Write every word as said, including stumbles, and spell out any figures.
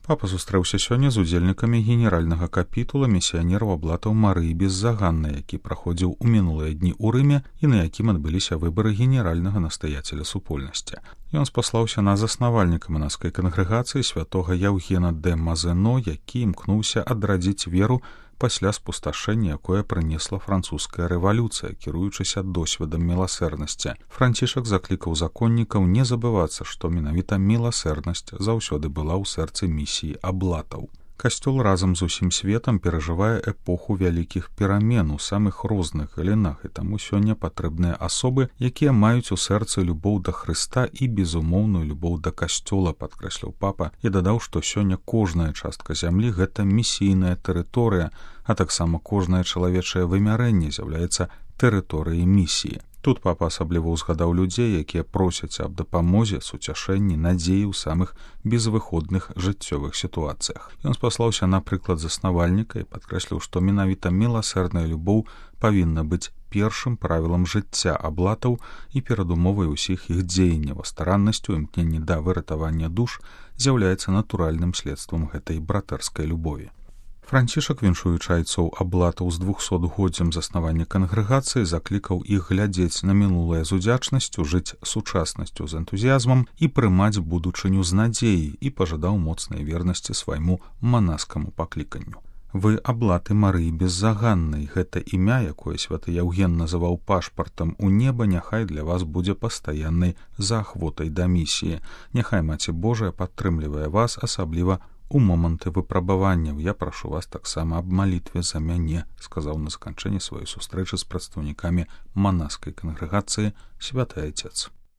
Папа сустрэўся сёння з удзельнікамі генеральнага капітула місіянераў аблатаў Марыі Беззаганнай, які праходзіў у мінулыя дні ў Рыме і на якім адбыліся выбары генеральнага настаяцеля супольнасці. Ён спаслаўся на заснавальніка манаскай кангрэгацыі святога Яўгена дэ Мазено, які імкнуўся адрадзіць веру пасля спусташэння, якое прынесла французская рэвалюцыя, кіруючыся досведам міласэрнасці. Францішак заклікаў законнікаў не забывацца, што менавіта міласэрнасць заўсёды была ў сэрцы місіі аблатаў. Касцёл разам з усім светам перажывае эпоху вялікіх перамен у самых розных галінах, і таму сёння патрэбныя асобы, якія маюць у сэрцы любоў да Хрыста і безумоўную любоў да касцёла, падкрэсліў папа, і дадаў, што сёння кожная частка зямлі — гэта місійная тэрыторыя, а таксама кожнае чалавечае вымярэнне з'яўляецца тэрыторыяй місіі. Тут папа асабліва ўзгадаў людзей, якія просяць аб дапамозе, суцяшэнні, надзеі ў самых безвыходных жыццёвых сітуацыях. Ён спаслаўся на прыклад заснавальніка і падкрэсліў, што менавіта міласэрная любоў павінна быць першым правілам жыцця аблатаў і перадумовай усіх іх дзеянняў, а стараннасцю і імкненні да выратавання душ з'яўляецца натуральным следствам гэтай братэрскай любові. Францішак, віншуючы айцоў аблатаў з двухсотгоддзям заснавання кангрэгацыі, заклікаў іх глядзець на мінулае з удзячнасцю, жыць сучаснасцю з энтузіязмам і прымаць будучыню з надзеяй, і пажадаў моцнай вернасці свайму манаскаму пакліканню. Вы аблаты Марыі Беззаганнай. Гэта імя, якое святы Яўген называў пашпартам у неба, няхай для вас будзе пастаяннай заахвотай да місіі. Няхай Маці Божая падтрымлівае вас, асабліва у моманты выпрабаванняў. Я прашу вас таксама аб малітве за мяне, сказаў на заканчэнні сваёй сустрэчы з прадстаўнікамі манаскай кангрэгацыі святы айцец.